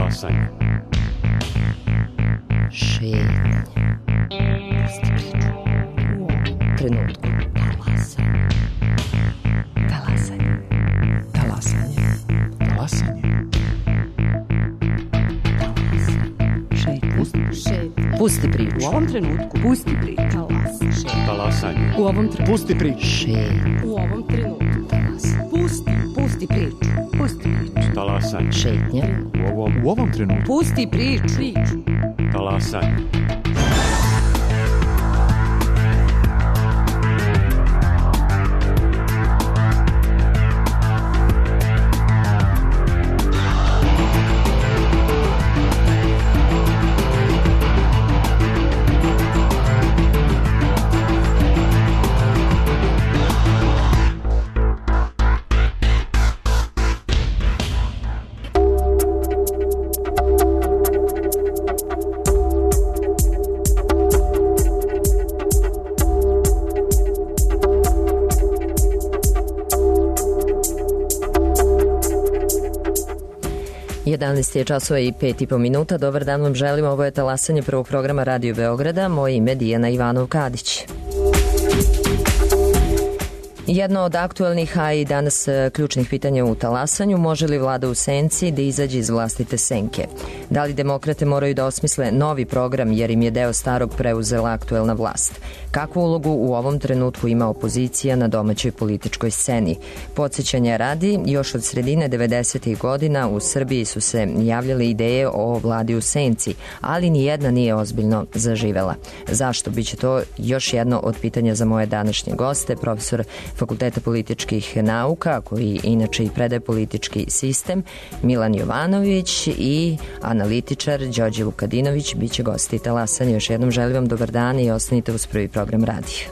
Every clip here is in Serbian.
Talasanje. Šetnja. Trenutku. Talasanje. Talasanje. Talasanje. Šetnja. Pusti priču. U ovom trenutku. Pusti priču. Talasanje. U ovom trenutku. Pusti priču. Šetnja. U ovom trenutku. Pusti priču. Pusti priču. Talasanje. Šetnja. U ovom trenutku. Pusti priču. Talasanje. Je časova i 5,5 minuta. Dobar dan vam želim. Ovo je talasanje prvog programa Radio Beograda. Moje ime je Dijana Ivanov-Kadić. Jedno od aktuelnih, a i danas ključnih pitanja u talasanju, može li vlada u senci da izađe iz vlastite senke? Da li demokrate moraju da osmisle novi program jer im je deo starog preuzela aktuelna vlast? Kakvu ulogu u ovom trenutku ima opozicija na domaćoj političkoj sceni? Podsjećanja radi, još od sredine 90. godina u Srbiji su se javljale ideje o vladi u senci, ali ni jedna nije ozbiljno zaživela. Zašto? Biće to još jedno od pitanja za moje današnje goste, profesor Fakulteta političkih nauka, koji inače i predaje politički sistem, Milan Jovanović, i analitičar Đorđe Vukadinović biće gosti talasanja. Još jednom želim vam dobar dan i ostanite uz prvi program radija.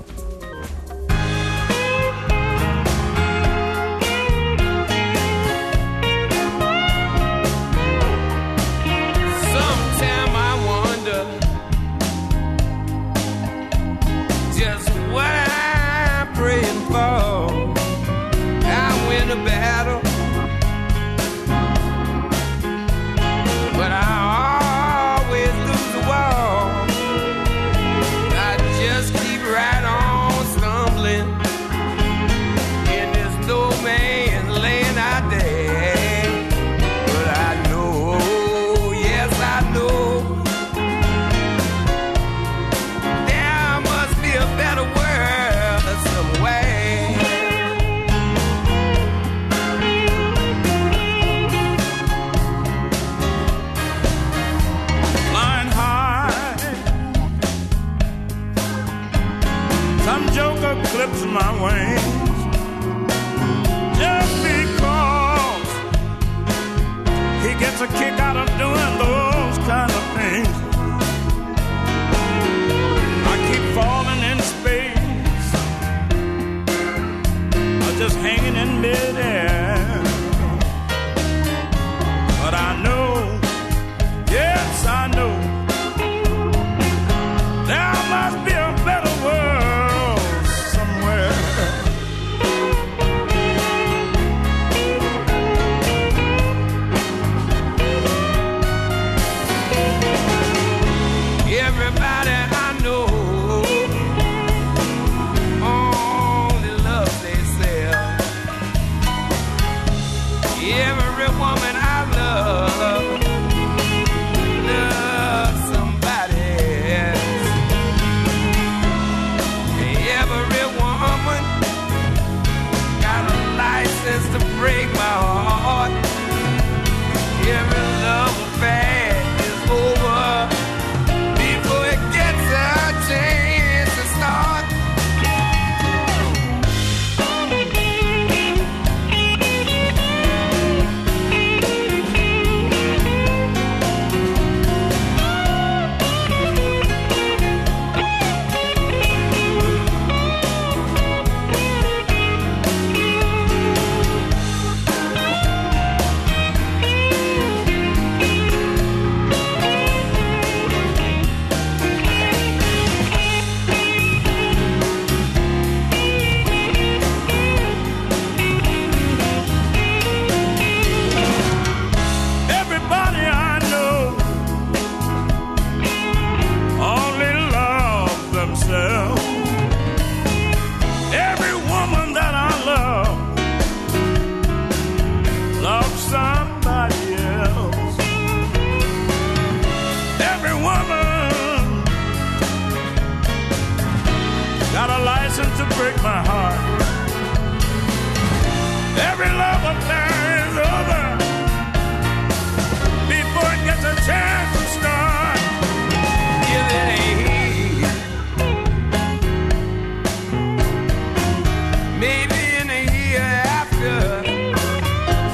maybe in a year after,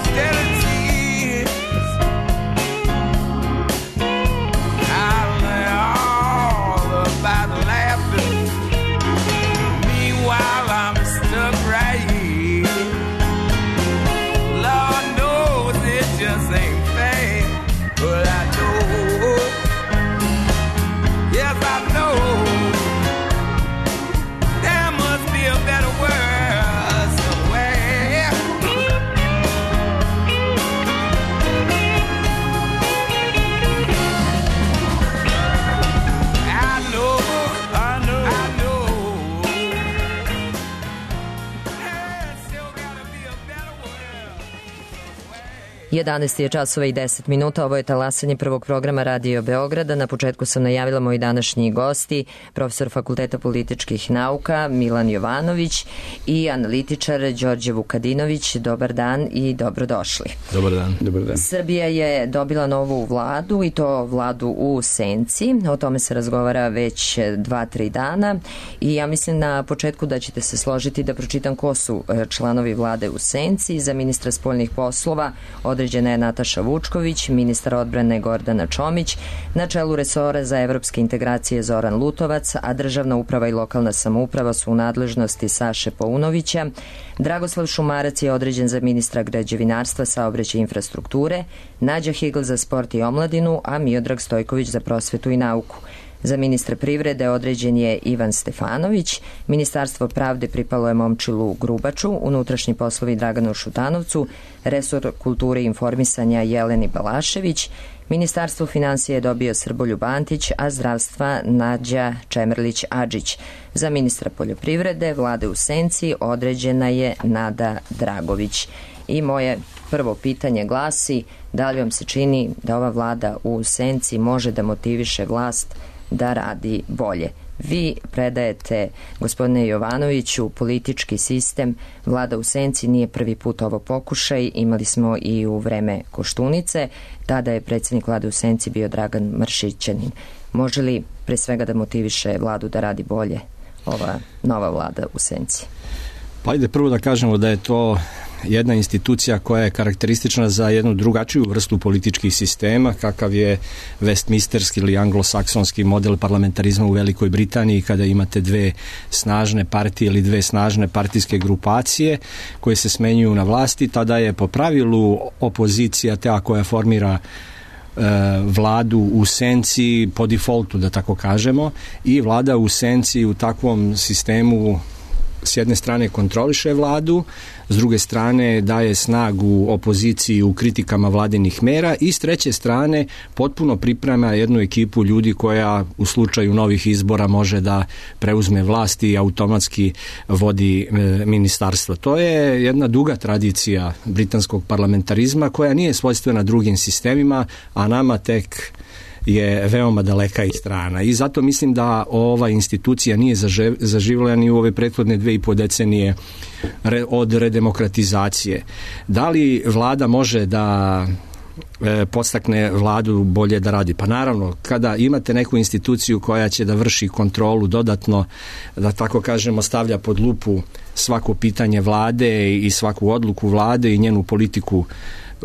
still it seems I'll learn all about laughter. Meanwhile, I'm stuck right here. Lord knows it just ain't fair, but I know, yes I know, there must be a better world somewhere. I know, there's still gotta be a better world. 11 je časova i 10 minuta, ovo je talasanje prvog programa Radio Beograda. Na početku sam najavila moji današnji gosti, profesor Fakulteta političkih nauka Milan Jovanović i analitičar Đorđe Vukadinović. Dobar dan i dobrodošli. Dobar dan. Dobar dan. Srbija je dobila novu vladu i to vladu u senci. O tome se razgovara već 2-3 dana i ja mislim na početku da ćete se složiti da pročitam ko su članovi vlade u senci. Za ministra spoljnih poslova određena je Nataša Vučković, ministar odbrane Gordana Čomić, na čelu resora za evropske integracije Zoran Lutovac, a državna uprava i lokalna samouprava su u nadležnosti Saše Paunovića. Dragoslav Šumarac je određen za ministra građevinarstva, saobraćaja i infrastrukture, Nađa Higl za sport i omladinu, a Miodrag Stojković za prosvetu i nauku. Za ministra privrede određen je Ivan Stefanović, Ministarstvo pravde pripalo je Momčilu Grubaču, unutrašnji poslovi Draganu Šutanovcu, resor kulture i informisanja Jeleni Balašević, Ministarstvo finansija je dobio Srboljub Antić, a zdravstva Nađa Čemerlić-Adžić. Za ministra poljoprivrede vlade u senci određena je Nada Dragović. I moje prvo pitanje glasi, da li vam se čini da ova vlada u senci može da motiviše vlast da radi bolje? Vi predajete, gospodine Jovanoviću, politički sistem. Vlada u senci nije prvi put ovo pokušaj. Imali smo i u vreme Koštunice. Tada je predsjednik vlade u senci bio Dragan Mršićanin. Može li pre svega da motiviše vladu da radi bolje ova nova vlada u senci? Pa ajde prvo da kažemo da je to jedna institucija koja je karakteristična za jednu drugačiju vrstu političkih sistema, kakav je Westminsterski ili anglosaksonski model parlamentarizma u Velikoj Britaniji, kada imate dve snažne partije ili dve snažne partijske grupacije koje se smenjuju na vlasti. Tada je po pravilu opozicija ta koja formira vladu u senci po defaultu, da tako kažemo, i vlada u senci u takvom sistemu s jedne strane kontroliše vladu, s druge strane daje snagu opoziciji u kritikama vladinih mera i s treće strane potpuno priprema jednu ekipu ljudi koja u slučaju novih izbora može da preuzme vlast i automatski vodi ministarstvo. To je jedna duga tradicija britanskog parlamentarizma koja nije svojstvena drugim sistemima, a nama tek je veoma daleka i strana. I zato mislim da ova institucija nije zaživjela ni u ove prethodne 2,5 decenije od redemokratizacije. Da li vlada može da podstakne vladu bolje da radi? Pa naravno, kada imate neku instituciju koja će da vrši kontrolu dodatno, da tako kažemo, stavlja pod lupu svako pitanje vlade i svaku odluku vlade i njenu politiku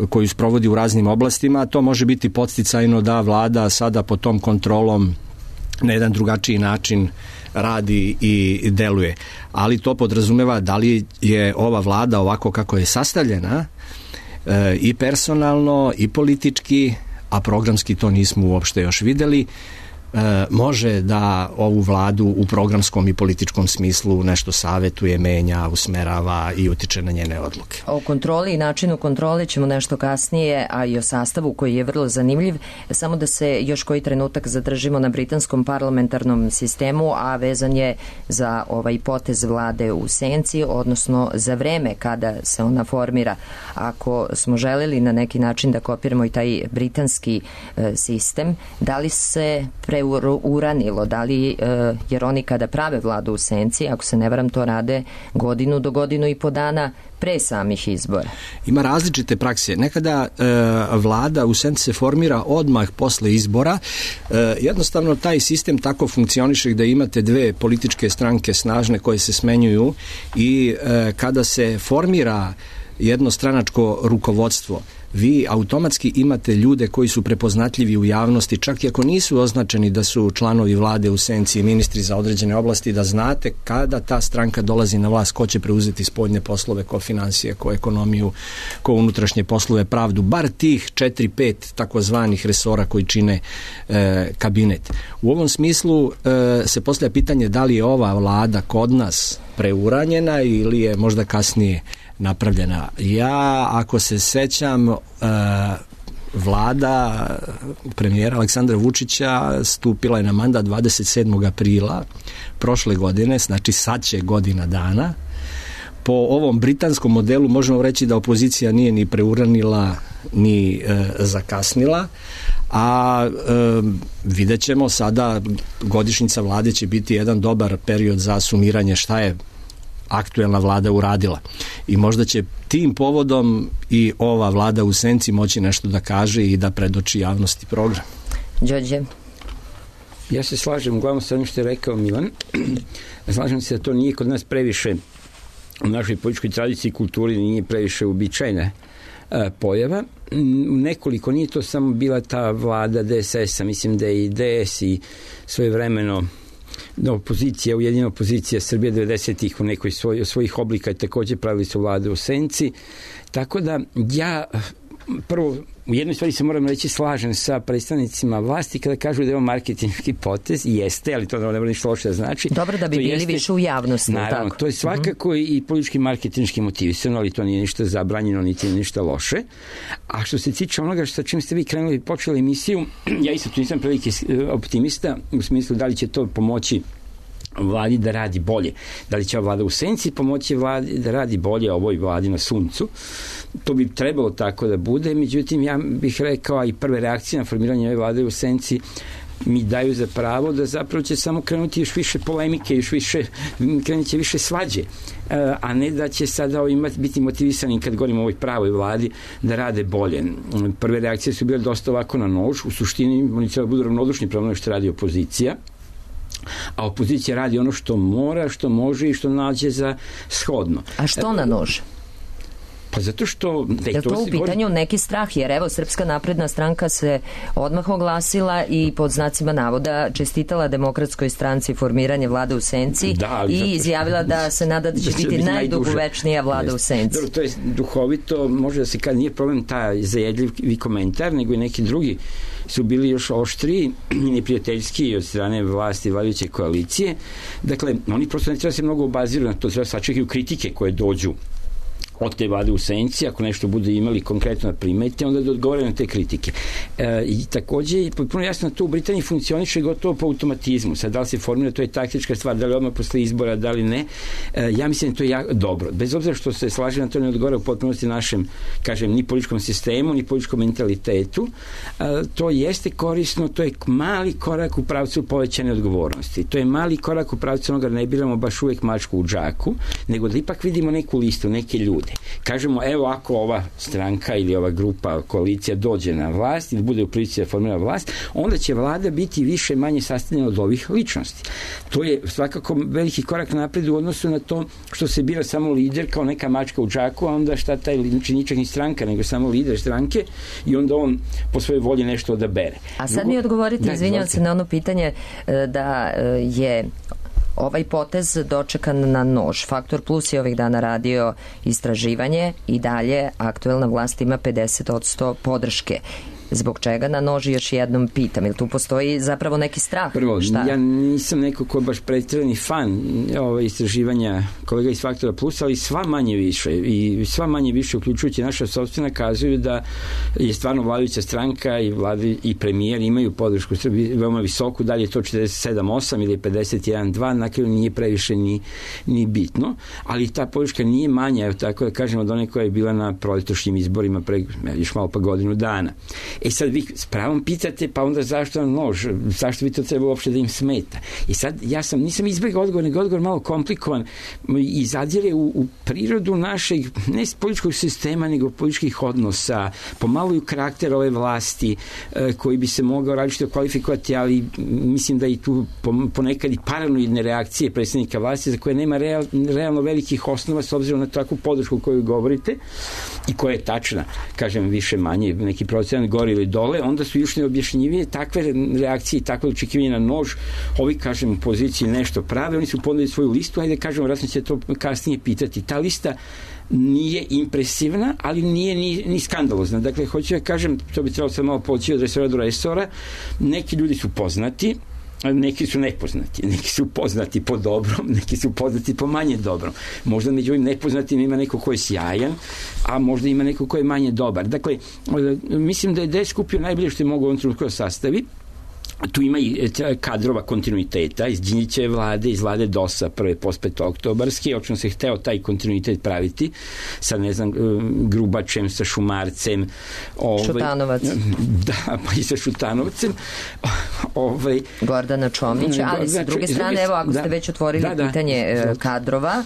koju sprovodi u raznim oblastima, to može biti podsticajno da vlada sada pod tom kontrolom na jedan drugačiji način radi i deluje. Ali to podrazumeva da li je ova vlada ovako kako je sastavljena i personalno i politički, a programski to nismo uopšte još videli, može da ovu vladu u programskom i političkom smislu nešto savetuje, menja, usmerava i utiče na njene odluke. O kontroli i načinu kontrole ćemo nešto kasnije, a i o sastavu koji je vrlo zanimljiv. Samo da se još koji trenutak zadržimo na britanskom parlamentarnom sistemu, a vezan je za ovaj potez vlade u senci, odnosno za vreme kada se ona formira. Ako smo želeli na neki način da kopiramo i taj britanski sistem, da li se pre preuranilo? Da li, jer oni kada prave vladu u senci, ako se ne varam, to rade godinu do godinu i po dana pre samih izbora? Ima različite prakse. Nekada vlada u senci se formira odmah posle izbora. Jednostavno taj sistem tako funkcioniše da imate dve političke stranke snažne koje se smenjuju i kada se formira jednostranačko rukovodstvo, vi automatski imate ljude koji su prepoznatljivi u javnosti, čak i ako nisu označeni da su članovi vlade u senci i ministri za određene oblasti, da znate kada ta stranka dolazi na vlast, ko će preuzeti spoljne poslove, ko financije, ko ekonomiju, ko unutrašnje poslove, pravdu, bar tih 4-5 takozvanih resora koji čine kabinet. U ovom smislu se postavlja pitanje da li je ova vlada kod nas preuranjena ili je možda kasnije napravljena. Ja, ako se sećam, vlada premijera Aleksandra Vučića stupila je na mandat 27. aprila prošle godine, znači sad će godina dana. Po ovom britanskom modelu možemo reći da opozicija nije ni preuranila ni zakasnila, a vidjet ćemo sada, godišnjica vlade će biti jedan dobar period za sumiranje šta je aktuelna vlada uradila. I možda će tim povodom i ova vlada u senci moći nešto da kaže i da predoči javnosti program. Đorđe? Ja se slažem uglavnom sa onim što je rekao Milan. Slažem se da to nije kod nas previše u našoj političkoj tradiciji i kulturi nije previše uobičajena pojava. Nekoliko, nije to samo bila ta vlada DSS-a, mislim da je i DS i svojevremeno opozicija, ujedinjena opozicija Srbije 90-ih u nekoj svojih oblika takođe pravili su vlade u senci. Tako da ja prvo u jednoj stvari se moram reći slažem sa predstavnicima vlasti kada kažu da je ovo marketinški potez, jeste, ali to ne mora ništa loše da znači. Dobro da bi bili jeste, više u javnosti. Naravno, to je svakako i politički marketinški motivisano, ali to nije ništa zabranjeno, niti ništa loše. A što se tiče onoga sa čim ste vi krenuli i počeli emisiju, ja isto tu nisam prilike optimista u smislu da li će to pomoći vladi da radi bolje. Da li će ova vlada u senci pomoći vladi da radi bolje ovoj vladi na suncu? To bi trebalo tako da bude, međutim ja bih rekao, a i prve reakcije na formiranje ove vlade u senci mi daju za pravo da zapravo će samo krenuti još više polemike, još više, krenut će više svađe, a ne da će sada biti motivisani kad govorimo o ovoj pravoj vladi da rade bolje. Prve reakcije su bile dosta ovako na nož, u suštini oni treba budu ravnodušni prema ono što radi opozicija, a opozicija radi ono što mora, što može i što nađe za shodno. A što na nož? Pa zato što... Je to u pitanju neki strah, jer evo Srpska napredna stranka se odmah oglasila i pod znacima navoda čestitala Demokratskoj stranci formiranje vlade u senci i izjavila da se nada da će biti najdugovečnija vlada u senci. Dobro, to je duhovito, može da se kada nije problem taj zajedljivi komentar, nego i neki drugi su bili još oštriji i neprijateljski od strane vlasti vladajuće koalicije. Dakle, oni prosto ne treba se mnogo obaziru na to, treba sačekaju kritike koje dođu od te vlade u senci, ako nešto bude imali konkretno na primeti, onda da odgovore na te kritike. I takođe je potpuno jasno da to u Britaniji funkcioniše gotovo po automatizmu. Sad, da li se formira, to je taktička stvar, da li odmah posle izbora, da li ne. Ja mislim da to je jako dobro. Bez obzira što se slaže na to ne odgovara u potpunosti našem, kažem, ni političkom sistemu, ni političkom mentalitetu. To jeste korisno, to je mali korak u pravcu povećane odgovornosti. To je mali korak u pravcu onoga da ne biramo baš uvek mačku u džaku, nego da ipak vidimo neku listu, neke ljude. Kažemo, evo ako ova stranka ili ova grupa, koalicija dođe na vlast ili bude u prilici da formira vlast, onda će vlada biti više manje sastavljena od ovih ličnosti. To je svakako veliki korak napred u odnosu na to što se bira samo lider kao neka mačka u džaku, a onda šta taj ničak ni stranka, nego samo lider stranke i onda on po svojoj volji nešto odabere. A sad mi odgovorite, izvinjavam se na ono pitanje da je ovaj potez dočekan na nož. Faktor Plus je ovih dana radio istraživanje i dalje aktuelna vlast ima 50% podrške. Zbog čega na noži još jednom pitam? Ili tu postoji zapravo neki strah? Prvo, ja nisam neko ko je baš pretjerani fan istraživanja kolega iz Faktora Plus, ali sva manje više uključujući naša sopstvena kazuju da je stvarno vladajuća stranka i vlada i premijer imaju podršku Srbiji veoma visoku, da li je to 47-8 ili 51-2, na kraju nije previše ni bitno, ali ta podrška nije manja, tako da kažemo, od one koja je bila na proletošnjim izborima pre još malo pa godinu dana. Sad vi s pravom pitate, pa onda zašto nož? Zašto bi to trebalo uopšte da im smeta? I sad nisam izbjegao odgovor, nego odgovor malo komplikovan i zadire u prirodu našeg, ne političkog sistema, nego političkih odnosa, pomalo i u karakter ove vlasti, koji bi se mogao različito kvalifikovati, ali mislim da i tu ponekad i paranoidne reakcije predsjednika vlasti za koje nema realno velikih osnova s obzirom na takvu podršku koju govorite i koja je tačna, kažem više manje, neki procenat gore ili dole, onda su još neobjašnjivije takve reakcije i takve očekivanje na nož. Ovi, kažem, u poziciji nešto prave, oni su ponudili svoju listu, ajde kažemo, vratno će to kasnije pitati. Ta lista nije impresivna, ali nije ni skandalozna. Dakle, hoću da kažem, to bi trebalo sad malo poći od resora do resora, neki ljudi su poznati, neki su nepoznati, neki su poznati po dobrom, neki su poznati po manje dobrom. Možda među ovim nepoznatim ima neko ko je sjajan, a možda ima neko ko je manje dobar. Dakle, mislim da je DS skupio najbolje što je mogu u ovom trenutku da sastavi. Tu ima i kadrova kontinuiteta iz Đinđićeve vlade, iz vlade DOS-a prve pospetooktobarske, očno se hteo taj kontinuitet praviti sa, ne znam, Grubačem, sa Šumarcem, Šutanovac. Da, pa i sa Šutanovcem. Gordana Čomić, ali sa druge strane, evo, ako ste već otvorili pitanje kadrova,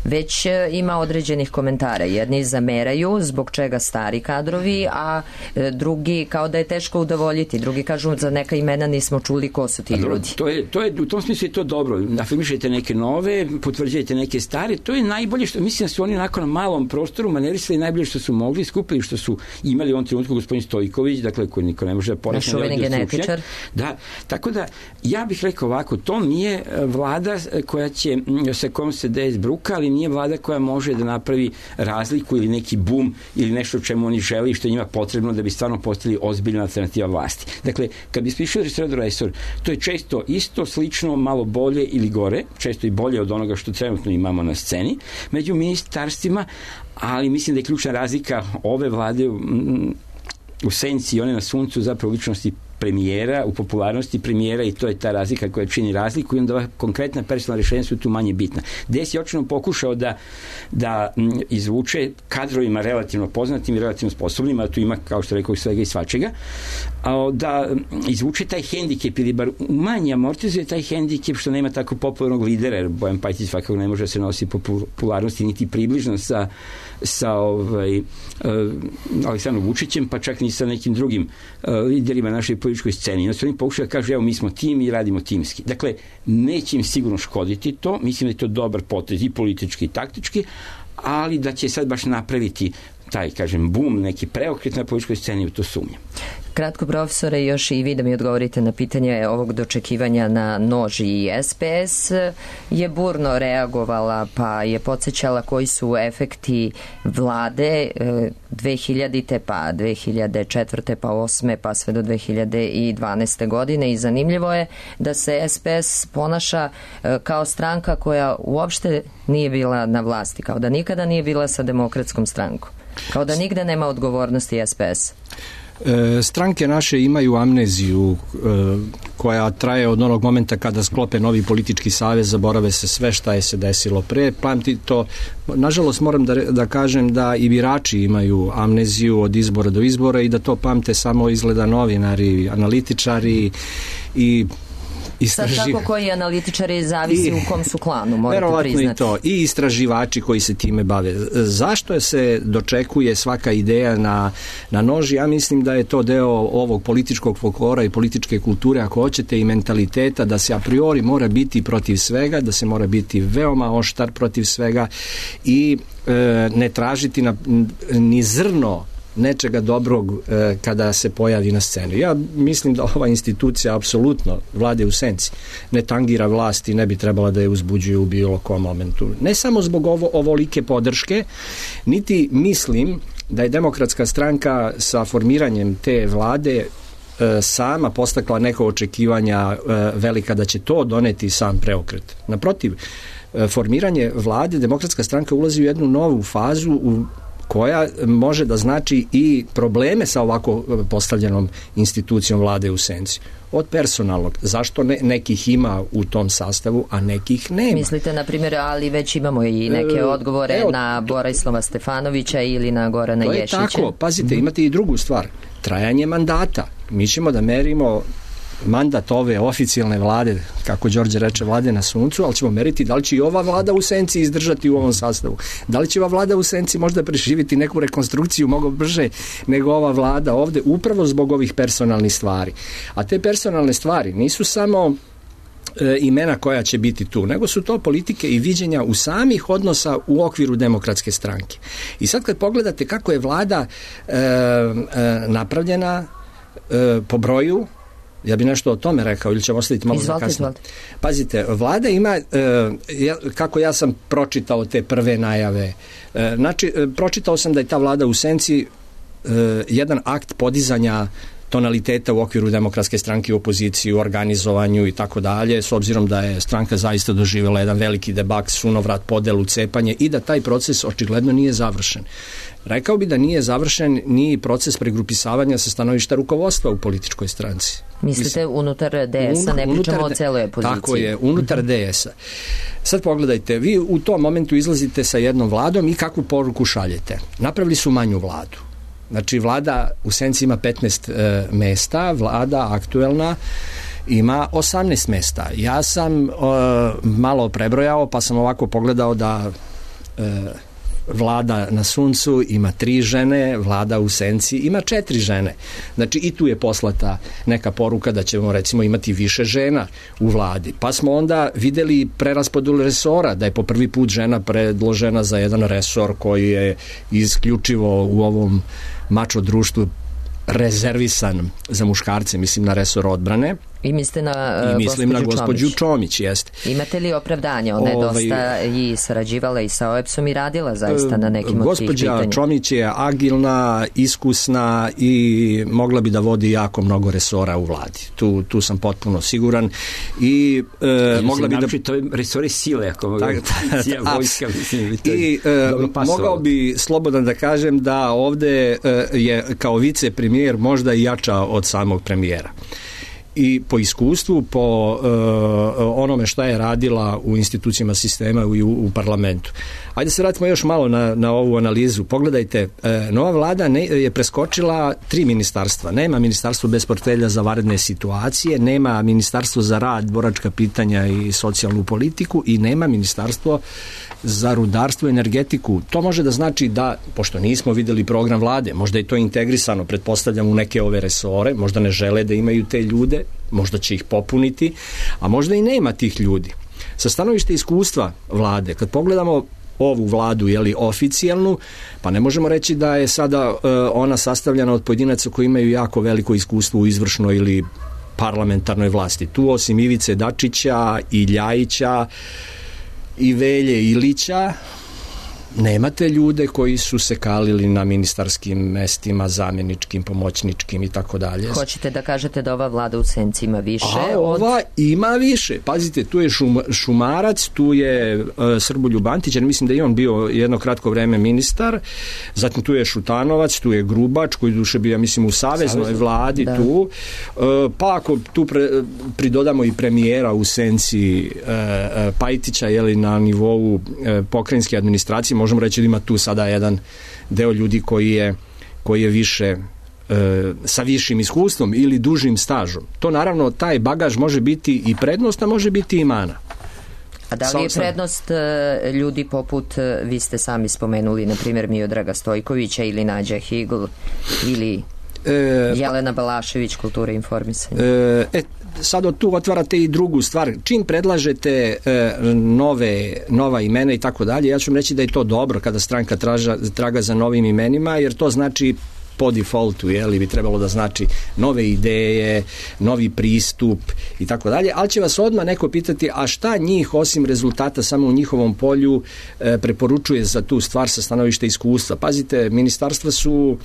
već ima određenih komentara. Jedni zameraju zbog čega stari kadrovi, a drugi kao da je teško udovoljiti. Drugi kažu za neka imena nismo čuli ko su ti ljudi. To je, u tom smislu je to dobro. Afirmišete neke nove, potvrđujete neke stare. To je najbolje što, mislim da su oni onako na malom prostoru manerisali najbolje što su mogli, skupili što su imali u ovom trenutku gospodin Stojković, dakle koji niko ne može da porekne. Našuveni genetičar. Da, tako da ja bih rekao ovako, to nije vlada koja će, sa kojom se DS bruka, ali nije vlada koja može da napravi razliku ili neki bum ili nešto čemu oni žele i što je njima potrebno da bi stvarno postali ozbiljna alternativa vlasti. Dakle, kad bi sprišao resor, to je često isto, slično, malo bolje ili gore, često i bolje od onoga što trenutno imamo na sceni, među ministarstvima, ali mislim da je ključna razlika ove vlade u senci i one na suncu zapravo ličnosti premijera, u popularnosti premijera, i to je ta razlika koja čini razliku, i onda konkretna personalna rješenja su tu manje bitna. DS je očino pokušao da izvuče kadrovima relativno poznatim i relativno sposobnim, a tu ima, kao što rekao, svega i svačega, da izvuče taj hendikep ili bar manje amortizuje taj hendikep što nema tako popularnog lidera, jer Bojan Pajtić svakako ne može da se nosi popularnosti niti približno sa Aleksandrom Vučićem, pa čak ni sa nekim drugim liderima naše političkoj sceni. Znači oni pokušaju da kažu, evo mi smo tim i radimo timski. Dakle, neće im sigurno škoditi to, mislim da je to dobar potez i politički i taktički, ali da će sad baš napraviti taj, kažem, bum, neki preokret na političkoj sceni, u to sumnjam. Kratko, profesore, još i vi da mi odgovorite na pitanje ovog dočekivanja na nož, i SPS je burno reagovala, pa je podsjećala koji su efekti vlade 2000. pa 2004. pa 2008. pa sve do 2012. godine, i zanimljivo je da se SPS ponaša kao stranka koja uopšte nije bila na vlasti, kao da nikada nije bila sa Demokratskom strankom, kao da nigde nema odgovornosti SPS. Stranke naše imaju amneziju koja traje od onog momenta kada sklope novi politički savez, zaborave se sve šta je se desilo pre. Pamti to, nažalost moram da kažem da i birači imaju amneziju od izbora do izbora i da to pamte samo izgleda novinari, analitičari i sad tako koji analitičari zavisi u kom su klanu, morate priznati. I to, i istraživači koji se time bave. Zašto se dočekuje svaka ideja na nož? Ja mislim da je to deo ovog političkog folklora i političke kulture, ako hoćete, i mentaliteta da se a priori mora biti protiv svega, da se mora biti veoma oštar protiv svega i ne tražiti ni zrno nečega dobrog kada se pojavi na scenu. Ja mislim da ova institucija apsolutno, vlade u senci, ne tangira vlast i ne bi trebala da je uzbuđuje u bilo kom momentu. Ne samo zbog ovolike podrške, niti mislim da je Demokratska stranka sa formiranjem te vlade sama postakla neko očekivanja velika da će to doneti sam preokret. Naprotiv, formiranje vlade, Demokratska stranka ulazi u jednu novu fazu koja može da znači i probleme sa ovako postavljenom institucijom vlade u senci. Od personalnog. Zašto nekih ima u tom sastavu, a nekih nema? Mislite, na primjer, ali već imamo i neke odgovore na Borislava Stefanovića ili na Gorana Ješića. To je tako. Pazite, imate i drugu stvar. Trajanje mandata. Mi ćemo da merimo mandat ove oficijalne vlade, kako Đorđe reče, vlade na suncu, ali ćemo meriti da li će i ova vlada u senci izdržati u ovom sastavu. Da li će ova vlada u senci možda preživiti neku rekonstrukciju mnogo brže nego ova vlada ovde, upravo zbog ovih personalnih stvari. A te personalne stvari nisu samo imena koja će biti tu, nego su to politike i viđenja u samih odnosa u okviru Demokratske stranke. I sad kad pogledate kako je vlada napravljena po broju, ja bih nešto o tome rekao ili ćemo ostaviti malo za kasnije. Pazite, vlada ima, kako ja sam pročitao te prve najave, znači, pročitao sam da je ta vlada u senci jedan akt podizanja tonaliteta u okviru Demokratske stranke u opoziciji, u organizovanju i tako dalje, s obzirom da je stranka zaista doživjela jedan veliki debak, sunovrat, podelu, cepanje i da taj proces očigledno nije završen. Rekao bi da nije završen ni proces pregrupisavanja sa stanovišta rukovodstva u političkoj stranci. Mislite unutar DS-a, ne pričamo o celoj opoziciji. Tako je, unutar DS-a. Sad pogledajte, vi u tom momentu izlazite sa jednom vladom i kakvu poruku šaljete. Napravili su manju vladu. Znači, vlada u senci ima 15 mesta, vlada aktuelna ima 18 mesta. Ja sam malo prebrojao, pa sam ovako pogledao da vlada na suncu ima 3 žene, vlada u senci ima 4 žene. Znači, i tu je poslata neka poruka da ćemo, recimo, imati više žena u vladi. Pa smo onda videli preraspodelu resora, da je po prvi put žena predložena za jedan resor koji je isključivo u ovom mačo društvu rezervisan za muškarce, mislim na resor odbrane. I mislite na mislim na gospođu Čomić, jeste. Imate li opravdanje? Ona je dosta i sarađivala i sa OEPS-om i radila zaista na nekim od tih pitanja. Gospođa Čomić je agilna, iskusna i mogla bi da vodi jako mnogo resora u vladi. Tu sam potpuno siguran. I mogla bi da... To je resori sile, ako mogu vojska, mislim. I mogao bi slobodno da kažem da ovde je kao vicepremijer možda i jača od samog premijera. I po iskustvu, po onome šta je radila u institucijama sistema i u parlamentu. Ajde se vratimo još malo na ovu analizu. Pogledajte, nova vlada je preskočila 3 ministarstva. Nema ministarstvo bez portfelja za vanredne situacije, nema ministarstvo za rad, boračka pitanja i socijalnu politiku i nema ministarstvo za rudarstvo i energetiku. To može da znači da, pošto nismo videli program vlade, možda je to integrisano, pretpostavljam, u neke ove resore, možda ne žele da imaju te ljude, možda će ih popuniti, a možda i nema tih ljudi. Sa stanovišta iskustva vlade, kad pogledamo ovu vladu, oficijalnu, pa ne možemo reći da je sada ona sastavljena od pojedinaca koji imaju jako veliko iskustvo u izvršnoj ili parlamentarnoj vlasti. Tu osim Ivice Dačića i Ljajića i Velje Ilića nemate ljude koji su se kalili na ministarskim mestima, zamjeničkim, pomoćničkim i tako dalje. Hoćete da kažete da ova vlada u senci ima više? Ova ima više. Pazite, tu je Šumarac, tu je Srboljub Antić, mislim da je on bio jedno kratko vreme ministar, zatim tu je Šutanovac, tu je Grubač, koji duše bio, mislim, u saveznoj vladi, da. Tu. Pa ako tu pridodamo i premijera u senci Pajtića, na nivou pokrajinske administracije, možemo reći da ima tu sada jedan deo ljudi koji je više sa višim iskustvom ili dužim stažom. To naravno, taj bagaž može biti i prednost, a može biti i mana. A da li je prednost ljudi poput, vi ste sami spomenuli, na primjer Miodraga Stojkovića ili Nađa Higl ili Jelena Balašević, kultura i informisanje? Sad tu otvarate i drugu stvar. Čim predlažete nova imena i tako dalje, ja ću vam reći da je to dobro kada stranka traga za novim imenima, jer to znači po defaultu, bi trebalo da znači nove ideje, novi pristup i tako dalje, ali će vas odmah neko pitati, a šta njih osim rezultata samo u njihovom polju preporučuje za tu stvar sa stanovišta iskustva. Pazite, ministarstva su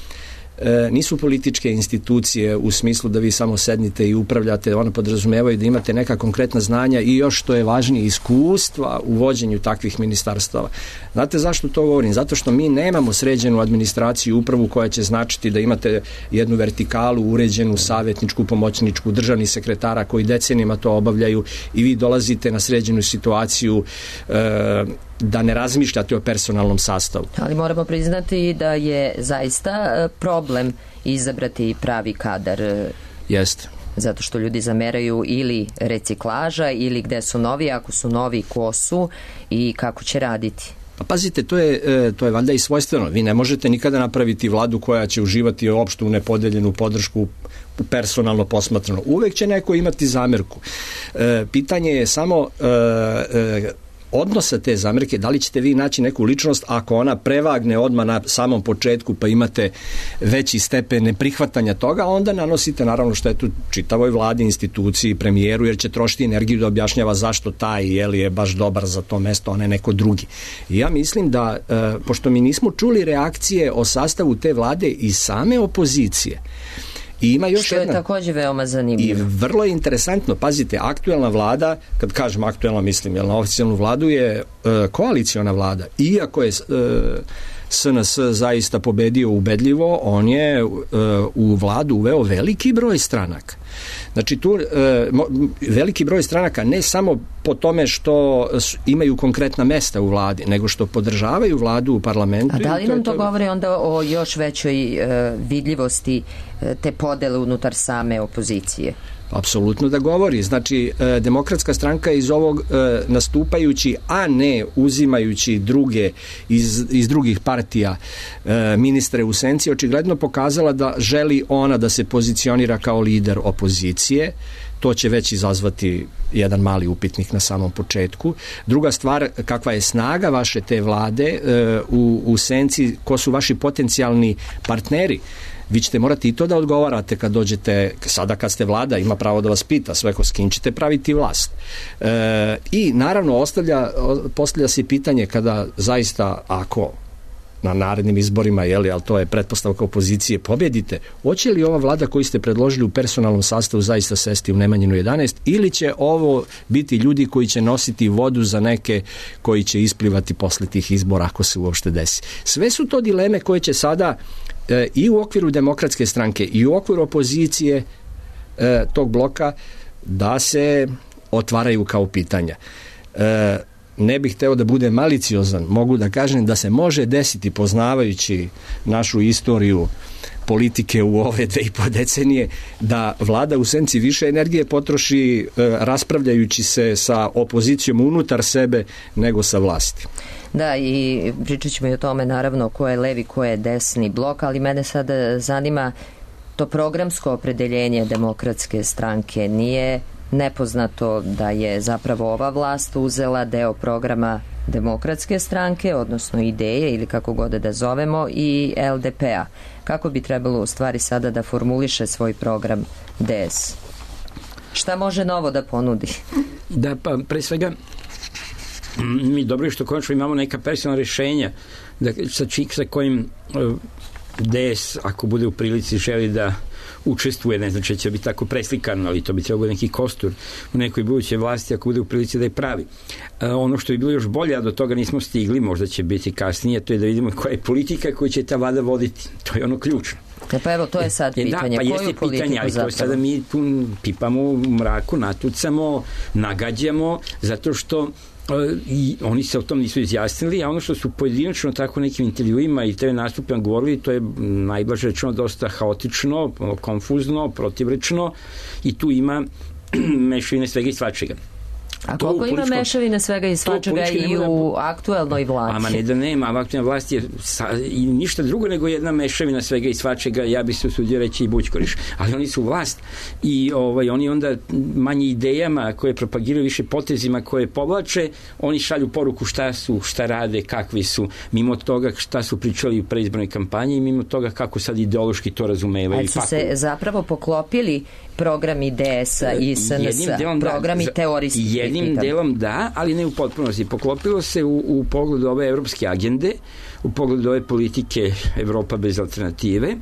nisu političke institucije u smislu da vi samo sednite i upravljate, one podrazumevaju da imate neka konkretna znanja i još što je važnije iskustva u vođenju takvih ministarstava. Znate zašto to govorim? Zato što mi nemamo sređenu administraciju i upravu koja će značiti da imate jednu vertikalu uređenu, savjetničku, pomoćničku, državni sekretara koji decenijama to obavljaju i vi dolazite na sređenu situaciju da ne razmišljate o personalnom sastavu. Ali moramo priznati da je zaista problem izabrati pravi kadar. Jeste. Zato što ljudi zameraju ili reciklaža ili gde su novi, ako su novi, ko su i kako će raditi. Pa pazite, to je valjda i svojstveno. Vi ne možete nikada napraviti vladu koja će uživati opštu nepodeljenu podršku personalno posmatrano. Uvek će neko imati zamerku. Pitanje je samo odnosa te zamerke, da li ćete vi naći neku ličnost ako ona prevagne odmah na samom početku pa imate veći stepen neprihvatanja toga, onda nanosite naravno štetu čitavoj vladi, instituciji, premijeru, jer će trošiti energiju da objašnjava zašto taj je baš dobar za to mesto, a ne neko drugi. I ja mislim da, pošto mi nismo čuli reakcije o sastavu te vlade i same opozicije, i ima još što je takođe veoma zanimljivo. I vrlo je interesantno, pazite, aktuelna vlada, kad kažem aktuelno mislim, jer na oficijalnu vladu je koaliciona vlada, iako je SNS zaista pobedio ubedljivo, on je u vladu uveo veliki broj stranaka. Znači tu veliki broj stranaka ne samo po tome što imaju konkretna mesta u vladi, nego što podržavaju vladu u parlamentu. A da li nam to govori onda o još većoj vidljivosti te podele unutar same opozicije? Apsolutno da govori. Znači, Demokratska stranka iz ovog nastupajući, a ne uzimajući druge iz drugih partija ministre u senci, očigledno pokazala da želi ona da se pozicionira kao lider opozicije. To će već izazvati jedan mali upitnik na samom početku. Druga stvar, kakva je snaga vaše te vlade u senci, ko su vaši potencijalni partneri. Vi ćete morati i to da odgovarate kad dođete, sada kad ste vlada, ima pravo da vas pita sve s kim ćete praviti vlast. I naravno postavlja se pitanje kada zaista, ako na narednim izborima, ali to je pretpostavka opozicije, pobjedite, hoće li ova vlada koju ste predložili u personalnom sastavu zaista sesti u Nemanjinu 11 ili će ovo biti ljudi koji će nositi vodu za neke koji će isplivati posle tih izbora ako se uopšte desi. Sve su to dileme koje će sada i u okviru Demokratske stranke i u okviru opozicije tog bloka da se otvaraju kao pitanja. Ne bih hteo da bude maliciozan, mogu da kažem da se može desiti, poznavajući našu istoriju politike u ove 2,5 decenije, da vlada u senci više energije potroši raspravljajući se sa opozicijom unutar sebe nego sa vlasti. Da, i pričat ćemo i o tome naravno ko je levi, ko je desni blok, ali mene sada zanima to programsko opredeljenje Demokratske stranke. Nije nepoznato da je zapravo ova vlast uzela deo programa Demokratske stranke, odnosno ideje ili kako god da zovemo, i LDP-a. Kako bi trebalo u stvari sada da formuliše svoj program DS? Šta može novo da ponudi? Da, pa pre svega mi dobro je što konačno imamo neka personalna rešenja sa kojim DS, ako bude u prilici, želi da učestvuje, ne znači će biti tako preslikano, ali to bi trebalo neki kostur u nekoj budućoj vlasti ako bude u prilici da je pravi. Ono što bi bilo još bolje, a do toga nismo stigli, možda će biti kasnije, to je da vidimo koja je politika koju će ta vlada voditi. To je ono ključno. Pa evo, to je sad pitanje. Da, pa jeste pitanje, ali to sada mi tu pipamo u mraku, natucamo, nagađamo, zato što i oni se o tom nisu izjasnili, a ono što su pojedinačno tako nekim intervjuima i TV nastupima govorili, to je najblaže rečeno dosta haotično, konfuzno, protivrečno i tu ima mešavine svega i svačega. A koliko ima mešavine svega i svačega i u aktuelnoj vlasti? Ama ne da nema, aktuelna vlast je i ništa drugo nego jedna mešavina svega i svačega, ja bi se usudio reći i Bućkoriš, ali oni su vlast i oni onda manje idejama koje propagiraju, više potezima koje povlače, oni šalju poruku šta rade, kakvi su, mimo toga šta su pričali u preizbornoj kampanji i mimo toga kako sad ideološki to razumevaju. Ali su se zapravo poklopili programi DS-a i SNS-a, programi teorijski. jednim delom da, ali ne u potpunosti. Poklopilo se u pogledu ove evropske agende, u pogledu ove politike Evropa bez alternative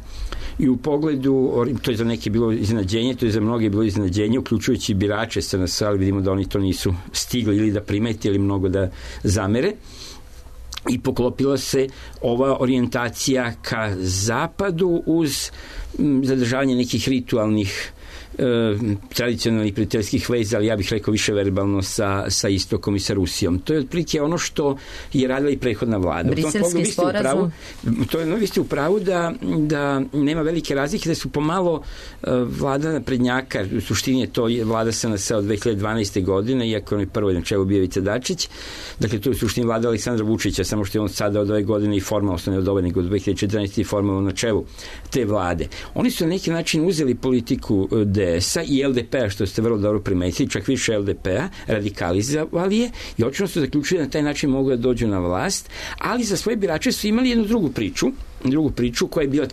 i u pogledu, to je za neke bilo iznenađenje, to je za mnoge bilo iznenađenje, uključujući birače SNS, ali vidimo da oni to nisu stigli ili da primeti ili mnogo da zamere. I poklopila se ova orijentacija ka zapadu uz zadržavanje nekih ritualnih tradicionalnih prijateljskih veza, ali ja bih rekao više verbalno sa istokom i sa Rusijom. To je otprilike ono što je radila i prethodna vlada. Briselski sporazum? Vi ste u pravu da nema velike razlike, da su pomalo vlada naprednjaka, u suštini je to vlada SNS od 2012. godine, iako on je prvo na čelu bio Ivica Dačić, dakle to je u suštini vlada Aleksandra Vučića, samo što je on sada od ove godine i formalno, ne od ove, nego od 2014. i formalno na čelu te vlade. Oni su na neki način uzeli politiku DS-a i LDP-a, što ste vrlo dobro primetili, čak više LDP-a, radikalizovali je i očično su zaključili da na taj način mogu da dođu na vlast, ali za svoje birače su imali jednu drugu priču koja je bila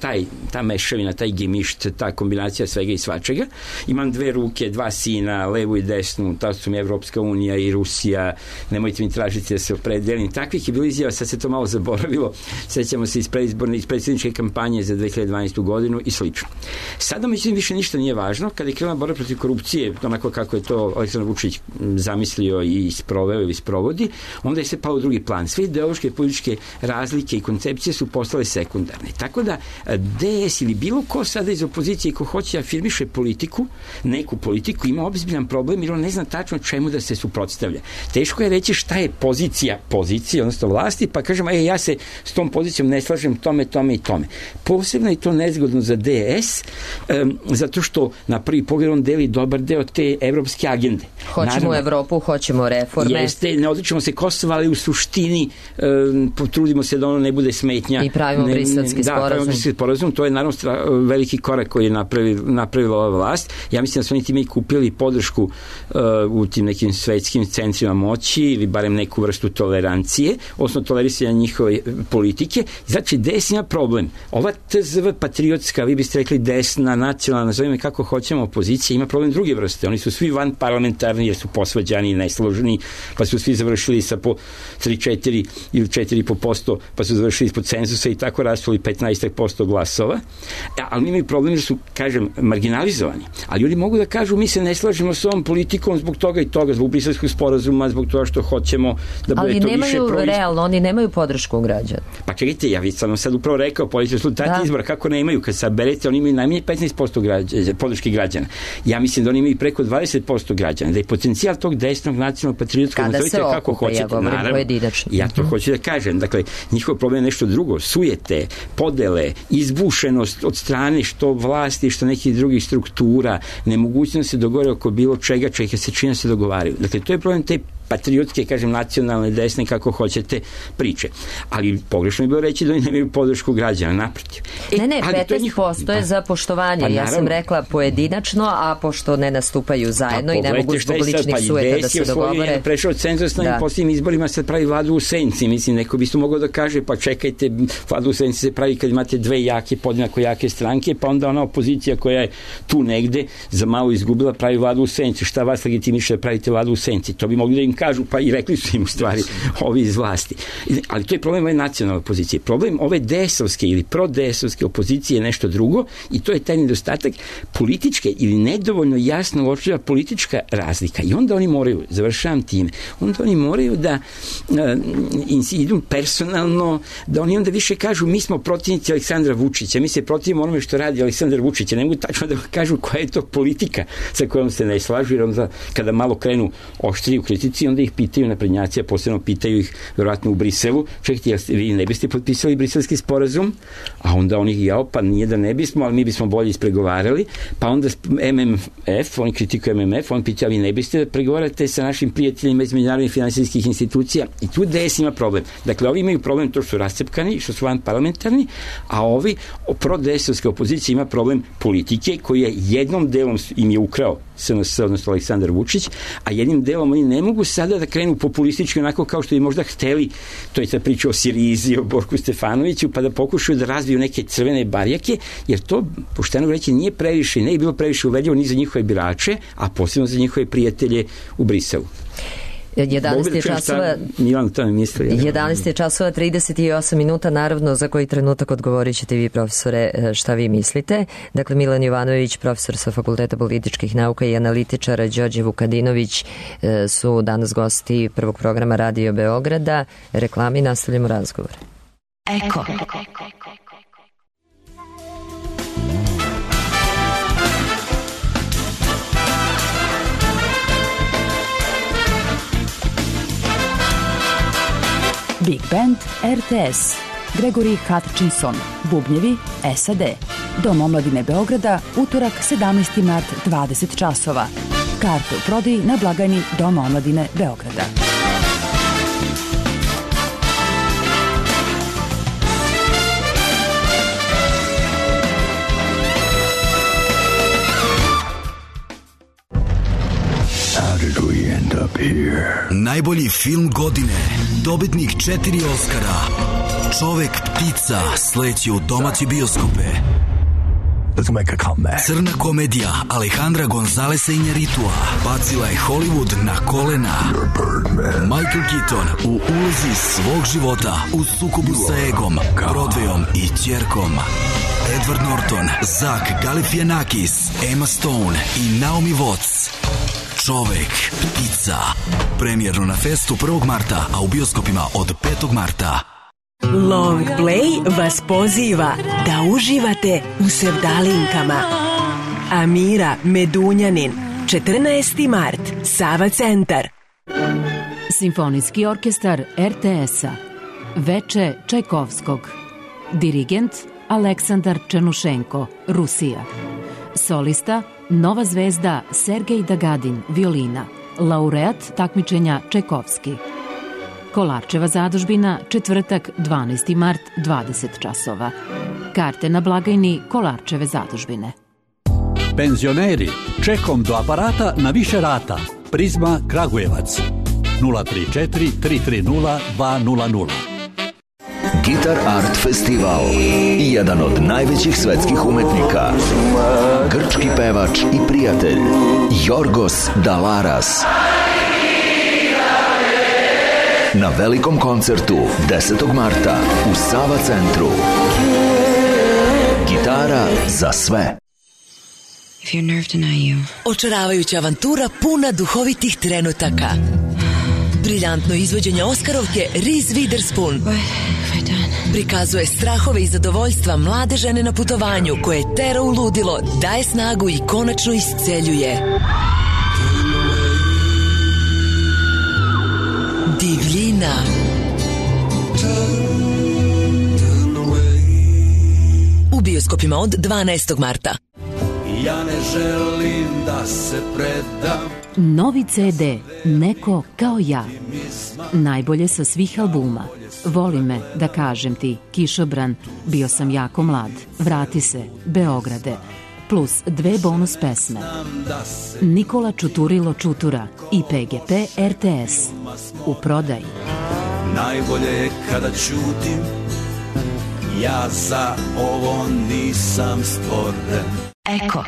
ta mešavina, taj gemišt, ta kombinacija svega i svačega. Imam dve ruke, dva sina, levu i desnu, ta su mi Evropska unija i Rusija, nemojte mi tražiti da se opredelim. Takvih je bilo izjava, sad se to malo zaboravilo, sećamo se iz predsjedničke kampanje za 2012. godinu i slično. Sada međutim više ništa nije važno, kada je krenula borba protiv korupcije, onako kako je to Aleksandar Vučić zamislio i sproveo ili sprovodi, onda je se pao u drugi plan. Sve ideološke političke razlike i koncepcije su postale sekundarne. Tako da DS ili bilo ko sada iz opozicije ko hoće afirmiše politiku, neku politiku, ima ozbiljan problem jer on ne zna tačno čemu da se suprotstavlja. Teško je reći šta je pozicija, odnosno vlasti, pa kažem, ja se s tom pozicijom ne slažem tome i tome. Posebno je to nezgodno za DS, zato što na prvi pogled on deli dobar deo te evropske agende. Hoćemo Evropu, hoćemo reforme. Jeste, ne odričemo se Kosova, ali u suštini potrudimo se da ono ne bude smetnja. I pravimo briselski sporazum. To je naravno veliki korak koji je napravila ova vlast. Ja mislim da su oni time i kupili podršku u tim nekim svetskim centrima moći ili barem neku vrstu tolerancije, odnosno tolerisanja njihove politike. Znači, DS ima problem. Ova TZV patriotska, vi biste rekli desna, nacionalna, nazovime kako hoćemo, opozicija, ima problem druge vrste. Oni su svi van parlamentarni jer su posvađani i nesloženi, pa su svi završili sa po 3-4 ili 4,5%, pa su završili ispod cenzusa i tako rasuli 15% glasova, ali imaju problem jer su, kažem, marginalizovani. Ali ljudi mogu da kažu, mi se ne slažemo s ovom politikom zbog toga i toga, zbog briselskog sporazuma, zbog toga što hoćemo da bude to više realno, oni nemaju podršku građana. Pa čekajte, ja sam sad upravo rekao, politika rezultati izbora, kako nemaju, kad saberete, oni imaju najmanje 15% podrške građana. Ja mislim da oni imaju preko 20% građana, da je potencijal tog desnog nacionalnog patriotskog, nazovite kako hoćete, naravno, ja to hoću da kažem, dakle, njihov problem je nešto drugo, sujete, podele, izbušenost od strane što vlasti, što nekih drugih struktura, nemogućnost se dogovore oko bilo čega se čini se dogovaraju. Dakle, to je problem te patriotske, kažem, nacionalne, desne, kako hoćete, priče. Ali pogrešno je bilo reći da oni nemaju podršku građana, naprotiv. Ne, 15% je za poštovanje. Pa, ja sam rekla pojedinačno, a pošto ne nastupaju zajedno i ne mogu zbog ličnih sujeta da se dogovore. Prešao cenzus na posljednjim izborima, se pravi vladu u senci. Mislim, neko bi isto mogao da kaže, pa čekajte, vladu u senci se pravi kad imate dve jake, podjednako jake stranke, pa onda ona opozicija koja je tu negde za malo izgubila pravi vladu u senci. Šta vas legitimiše da pravite vladu u senci? To bi mogli da im kažu, pa i rekli su im u stvari ovi iz vlasti. Ali to je problem ove nacionalne opozicije. Problem ove DS-ovske ili pro-DS-ovske opozicije je nešto drugo i to je taj nedostatak političke ili nedovoljno jasno uočljiva politička razlika. I onda oni moraju, završavam time, onda oni moraju da idu personalno, da oni onda više kažu mi smo protivnici Aleksandra Vučića, mi se protivimo onome što radi Aleksandar Vučić, ne mogu tačno da kažu koja je to politika sa kojom se ne slažu, jer onda kada malo krenu oštriji u kritici, onda ih pitaju naprednjaci, a posebno pitaju ih verovatno u Briselu, čekajte, vi ne biste potpisali briselski sporazum, a onda oni pa nije da ne bismo, ali mi bismo bolje ispregovarali, pa onda MMF, oni kritikuju MMF, on pita, vi ne biste da pregovarate sa našim prijateljima iz međunarodnih finansijskih institucija i tu DS ima problem. Dakle, ovi imaju problem to što su rascepkani, što su vanparlamentarni, a ovi pro DS-ovske opozicije ima problem politike koji je jednom delom im je ukrao SNS, odnosno Aleksandar Vučić, a jednim delom oni ne mogu sada da krenu populistički onako kao što bi možda hteli, to je ta priča o Sirizi, o Borku Stefanoviću, pa da pokušaju da razviju neke crvene barjake, jer to, pošteno reći, nije previše, ne je bilo previše uvedljivo ni za njihove birače, a posebno za njihove prijatelje u Briselu. 11 je časova 38 minuta, naravno za koji trenutak odgovorit ćete vi, profesore, šta vi mislite. Dakle, Milan Jovanović, profesor sa Fakulteta političkih nauka, i analitičar Đorđe Vukadinović su danas gosti prvog programa Radio Beograda. Reklami, nastavljamo razgovor. Eko. Big Band RTS, Gregory Hutchinson, bubnjevi SAD. Dom omladine Beograda, utorak 17. mart, 20 časova. Karte u prodaji na blagajni Doma omladine Beograda. Najbolji film godine, dobitnik 4 Oskara, Čovek ptica, sleće u domaće bioskope. Crna komedija Alejandra Gonzalesa Iñárritua bacila je Hollywood na kolena. Michael Keaton u ulozi svog života u sukobu sa egom, Broadwayom i ćerkom. Edward Norton, Zach Galifianakis, Emma Stone i Naomi Watts. Čovek ptica. Premijerno na festu 1. marta, a u bioskopima od 5. marta. Long Play vas poziva da uživate u sevdalinkama. Amira Medunjanin, 14. mart, Sava centar. Simfonijski orkestar RTS-a, Veče Čajkovskog. Dirigent Aleksandar Černušenko, Rusija. Solista Nova zvezda Sergej Dagadin, violina. Laureat takmičenja Čajkovski. Kolarčeva zadužbina, četvrtak, 12. mart, 20 časova. Karte na blagajni Kolarčeve zadužbine. Penzioneri, čekom do aparata na više rata. Prizma Kragujevac. 034 330 200. Gitar Art Festival. Jedan od najvećih svetskih umetnika. Grčki pevač i prijatelj Jorgos Dalaras. Na velikom koncertu 10. marta u Sava centru. Gitara za sve. Očaravajuća avantura puna duhovitih trenutaka. Briljantno izvođenje Oskarovke Reese Witherspoon prikazuje strahove i zadovoljstva mlade žene na putovanju koje tera u ludilo, daje snagu i konačno isceljuje. Divljina. U bioskopima od 12. marta. Ja ne želim da se predam. Novi CD Neko kao ja. Najbolje sa svih albuma. Voli me, da kažem ti, Kišobran, bio sam jako mlad, vrati se, Beograde, plus 2 bonus pesme. Nikola Čuturilo Čutura i PGP RTS. U prodaji. Najbolje je kada ćutim, ja za ovo nisam stvoren. Eko.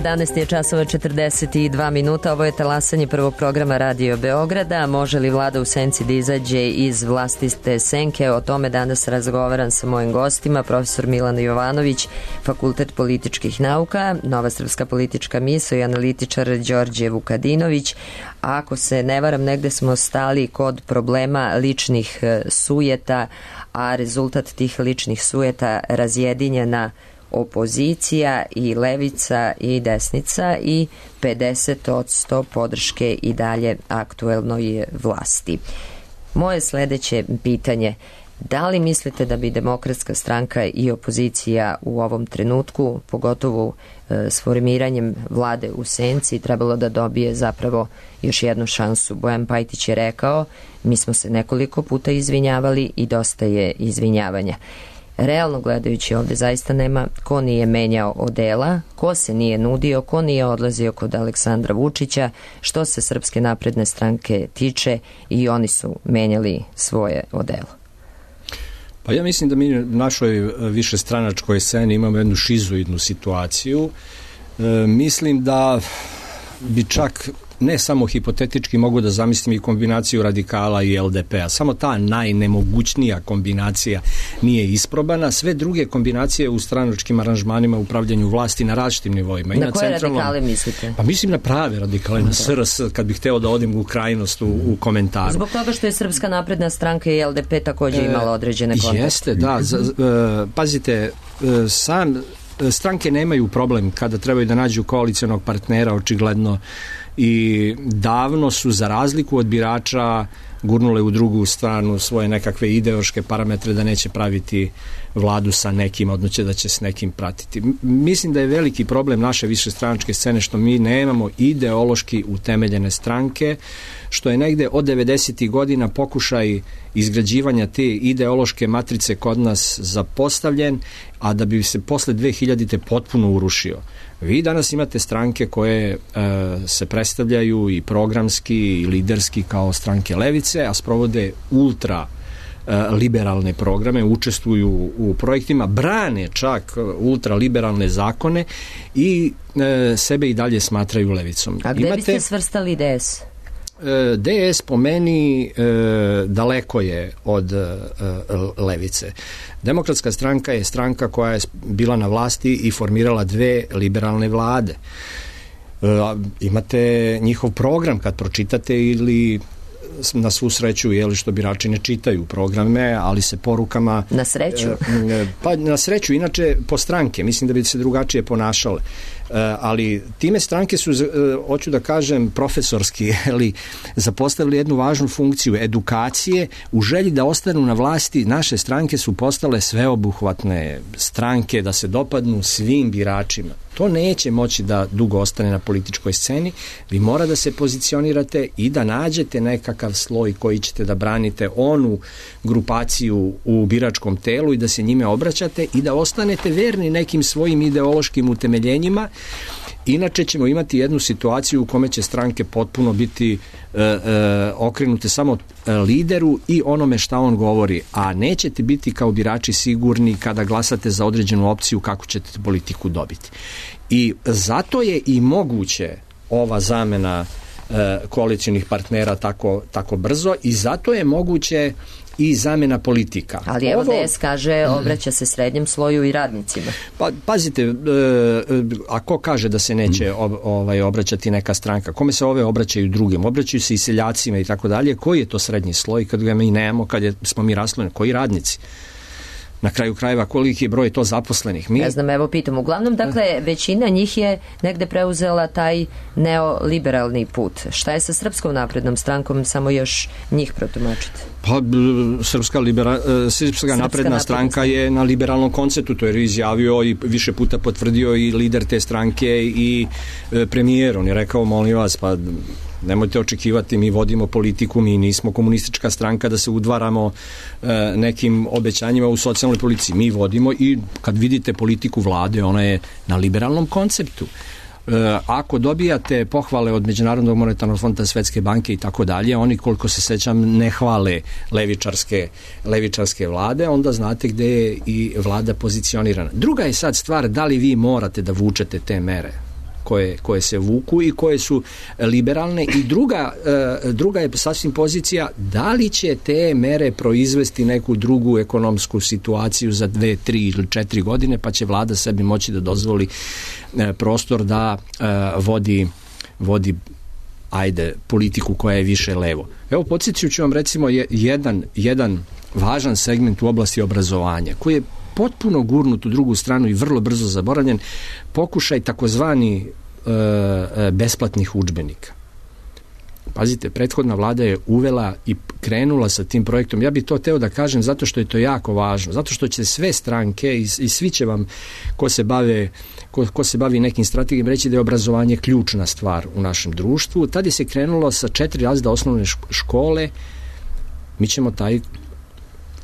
11 je časova 42 minuta. Ovo je talasanje prvog programa Radio Beograda. Može li vlada u senci da izađe iz vlastite senke? O tome danas razgovaram sa mojim gostima. Profesor Milan Jovanović, Fakultet političkih nauka, Nova srpska politička misao i analitičar Đorđe Vukadinović. Ako se ne varam, negde smo stali kod problema ličnih sujeta, a rezultat tih ličnih sujeta razjedinjena opozicija i levica i desnica i 50% podrške i dalje aktuelnoj vlasti. Moje sledeće pitanje, Da li mislite da bi Demokratska stranka i opozicija u ovom trenutku, pogotovo s formiranjem vlade u senci, trebalo da dobije zapravo još jednu šansu? Bojan Pajtić je rekao, mi smo se nekoliko puta izvinjavali i dosta je izvinjavanja. Realno gledajući, ovde zaista nema ko nije menjao odela, ko se nije nudio, ko nije odlazio kod Aleksandra Vučića. Što se Srpske napredne stranke tiče, i oni su menjali svoje odelo. Pa ja mislim da mi u našoj višestranačkoj sceni imamo jednu šizoidnu situaciju. Mislim da bi čak ne samo hipotetički mogu da zamislim i kombinaciju radikala i LDP-a. Samo ta najnemogućnija kombinacija nije isprobana. Sve druge kombinacije u stranačkim aranžmanima, upravljanju vlasti na različitim nivoima. Na koje radikale mislite? Pa mislim na prave radikale, na SRS, kad bih hteo da odim u krajnost u komentaru. Zbog toga što je Srpska napredna stranka i LDP takođe imala određene kontakte. Jeste, da. Pazite, stranke nemaju problem kada trebaju da nađu koalicionog partnera, očigledno, i davno su, za razliku od birača, gurnule u drugu stranu svoje nekakve ideološke parametre da neće praviti vladu sa nekim, odnosno da će s nekim pratiti. Mislim da je veliki problem naše višestranačke scene što mi nemamo ideološki utemeljene stranke, što je negde od 90. godina pokušaj izgrađivanja te ideološke matrice kod nas zapostavljen, a da bi se posle 2000. potpuno urušio. Vi danas imate stranke koje se predstavljaju i programski i liderski kao stranke levice, a sprovode ultra liberalne programe, učestvuju u projektima, brane čak ultraliberalne zakone i sebe i dalje smatraju levicom. A gde biste svrstali DS? DS po meni daleko je od levice. Demokratska stranka je stranka koja je bila na vlasti i formirala 2 liberalne vlade. Imate njihov program kad pročitate, ili na svu sreću, što birači ne čitaju programe, ali se porukama... Na sreću? Pa na sreću, inače po stranke, mislim da bi se drugačije ponašale. Ali time stranke su, hoću da kažem, profesorski zapostavili jednu važnu funkciju edukacije. U želji da ostanu na vlasti, naše stranke su postale sveobuhvatne stranke, da se dopadnu svim biračima. To neće moći da dugo ostane na političkoj sceni. Vi mora da se pozicionirate i da nađete nekakav sloj koji ćete da branite, onu grupaciju u biračkom telu, i da se njime obraćate i da ostanete verni nekim svojim ideološkim utemeljenjima. Inače ćemo imati jednu situaciju u kome će stranke potpuno biti okrenute samo lideru i onome šta on govori, a nećete biti kao birači sigurni kada glasate za određenu opciju kako ćete politiku dobiti. I zato je i moguće ova zamena koalicionih partnera tako brzo, i zato je moguće i zamena politika. Ali evo DS kaže, obraća se srednjem sloju i radnicima. Pa pazite, a ko kaže da se neće obraćati neka stranka? Kome se ove obraćaju drugim? Obraćaju se i seljacima i tako dalje. Koji je to srednji sloj kad ga mi nemamo, kad smo mi raslojeni? Koji radnici? Na kraju krajeva, koliki je broj to zaposlenih? Ne znam, evo pitam. Uglavnom, dakle, većina njih je negde preuzela taj neoliberalni put. Šta je sa Srpskom naprednom strankom, samo još njih protumačite? Pa, Srpska napredna stranka je na liberalnom konceptu, to je izjavio i više puta potvrdio i lider te stranke i premijer. On je rekao, molim vas, pa nemojte očekivati, mi vodimo politiku, mi nismo komunistička stranka da se udvaramo nekim obećanjima u socijalnoj politici. Mi vodimo, i kad vidite politiku vlade, ona je na liberalnom konceptu. Ako dobijate pohvale od Međunarodnog monetarnog fonda, Svetske banke i tako dalje, oni, koliko se sećam, ne hvale levičarske vlade, onda znate gde je i vlada pozicionirana. Druga je sad stvar da li vi morate da vučete te mere koje se vuku i koje su liberalne, i druga je sasvim pozicija da li će te mere proizvesti neku drugu ekonomsku situaciju za 2, 3 ili 4 godine, pa će vlada sebi moći da dozvoli prostor da vodi politiku koja je više levo. Evo, podsjetit ću vam recimo jedan važan segment u oblasti obrazovanja koji je potpuno gurnut u drugu stranu i vrlo brzo zaboravljen, pokušaj takozvani besplatnih udžbenika. Pazite, prethodna vlada je uvela i krenula sa tim projektom. Ja bih to teo da kažem zato što je to jako važno, zato što će sve stranke i svi će vam ko se bavi nekim strategijom reći da je obrazovanje ključna stvar u našem društvu. Tada se krenulo sa 4 razreda osnovne škole. Mi ćemo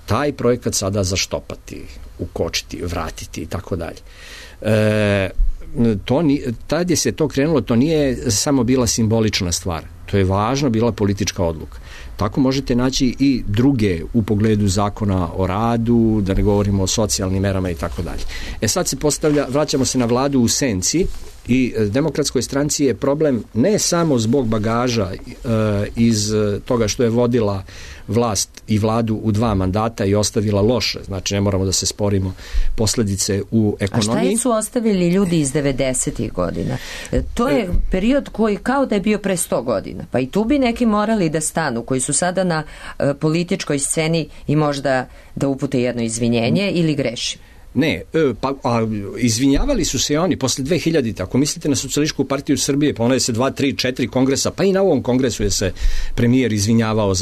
taj projekat sada zaštopati, ukočiti, vratiti i tako dalje. Tad je se to krenulo, to nije samo bila simbolična stvar, to je važno bila politička odluka. Tako možete naći i druge u pogledu zakona o radu, da ne govorimo o socijalnim merama i tako dalje. Sad se vraćamo se na vladu u senci i Demokratskoj stranci je problem ne samo zbog bagaža iz toga što je vodila vlast i vladu u 2 mandata i ostavila loše, znači ne moramo da se sporimo posledice u ekonomiji. A šta su ostavili ljudi iz 90-ih godina? To je period koji kao da je bio pre 100 godina, pa i tu bi neki morali da stanu, koji su sada na političkoj sceni i možda da upute jedno izvinjenje ili grešim. Ne, izvinjavali su se oni posle 2000. Ako mislite na Socijalističku partiju Srbije, pa ona je se 2, 3, 4 kongresa, pa i na ovom kongresu je se premijer izvinjavao